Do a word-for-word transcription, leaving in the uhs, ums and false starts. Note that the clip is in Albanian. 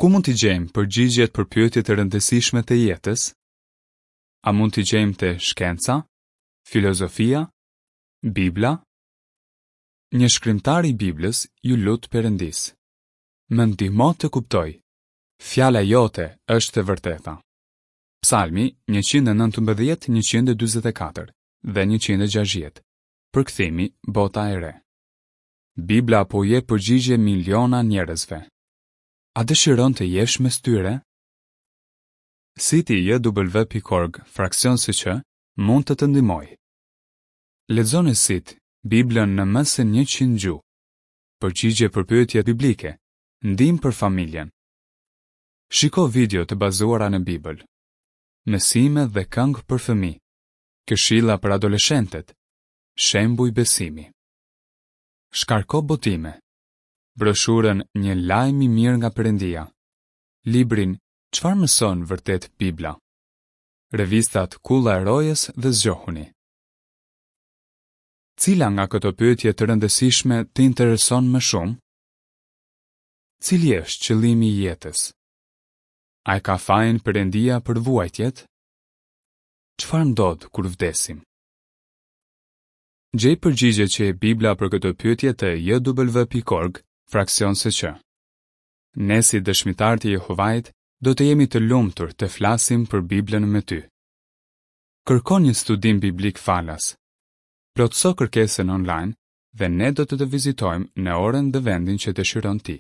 Ku mund t'i gjejmë përgjigjet për pyetjet e rëndësishme të jetës? A mund t'i gjejmë te shkenca, filozofia, Bibla? Një shkrimtar i Biblës iu lut Perëndisë: "Më ndihmo të kuptoj. Fjala jote është e vërteta." Psalmi njëqind e nëntëmbëdhjetë, njëqind e dyzet e katër dhe njëqind e gjashtëdhjetë. Përkthimi Bota e Re. Bibla po u jep përgjigje miliona njerëzve. A dëshiron të jesh mes tyre? Siti J W pikë org fraksion S Q mund të të ndihmojë. Lexo në sit Biblën në më se njëqind gjuhë. Përgjigje për pyetje biblike, ndihmë për familjen. Shiko video të bazuara në Bibël. Mësime dhe këngë për fëmijë. Këshilla për adoleshentët. Shembuj besimi. Shkarko botime. Broshurën "Një lajm i mirë nga Perëndia". Librin "Çfarë mëson vërtet Bibla?" Revistat "Kulla e Rojës" dhe "Zgjohuni". Cila nga këto pyetje të rëndësishme të intereson më shumë? Cili është qëllimi i jetës? A e ka fajin Perëndia për vuajtjet? Çfarë ndodh kur vdesim? Gjej përgjigjet që jep Bibla për këto pyetje te J W pikë org fraksion S Q. Ne si dëshmitarë të Jehovait do të jemi të lumtur të flasim për Biblën me ty. Kërko një studim biblik falas. Plotëso kërkesën online dhe ne do të të vizitojmë në orën dhe vendin që dëshiron ti.